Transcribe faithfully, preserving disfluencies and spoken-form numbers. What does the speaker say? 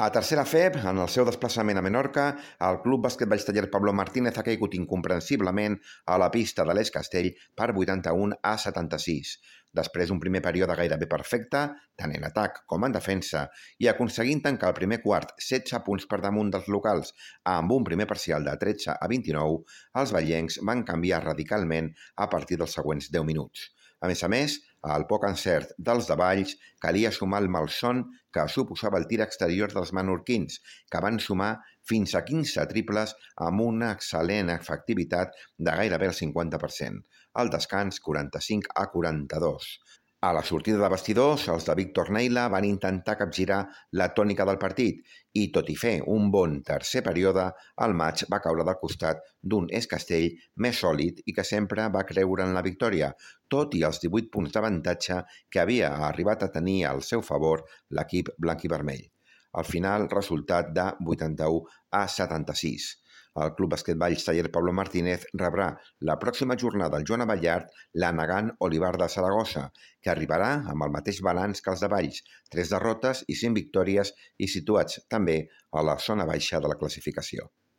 A tercera F E B, en el seu desplaçament a Menorca, el Club Bàsquet Valls Taller Pablo Martínez ha caigut incomprensiblement a la pista de l'Es Castell per vuitanta-un a setanta-sis. Després d'un primer període gairebé perfecte, tant en atac com en defensa, i aconseguint tancar el primer quart setze punts per damunt dels locals amb un primer parcial de tretze a vint-i-nou, els vallencs van canviar radicalment a partir dels següents deu minuts. A més a més, al poc encert dels de Valls calia sumar el malson que suposava el tir exterior dels menorquins, que van sumar fins a quinze triples amb una excel·lent efectivitat de gairebé el cinquanta per cent. Al descans, quaranta-cinc a quaranta-dos. A la sortida de vestidors, els de Víctor Neila van intentar capgirar la tònica del partit i, tot i fer un bon tercer període, el maig va caure del costat d'un Es Castell més sòlid i que sempre va creure en la victòria, tot i els divuit punts d'avantatge que havia arribat a tenir al seu favor l'equip blanc-i-vermell. Al final, resultat de vuitanta-u a setanta-sis. El Club Bàsquet Valls Taller Pablo Martínez rebrà la pròxima jornada al Joan Abellart la Nagant Olivar de Saragossa, que arribarà amb el mateix balanç que els de Valls, tres derrotes i cinc victòries i situats també a la zona baixa de la classificació.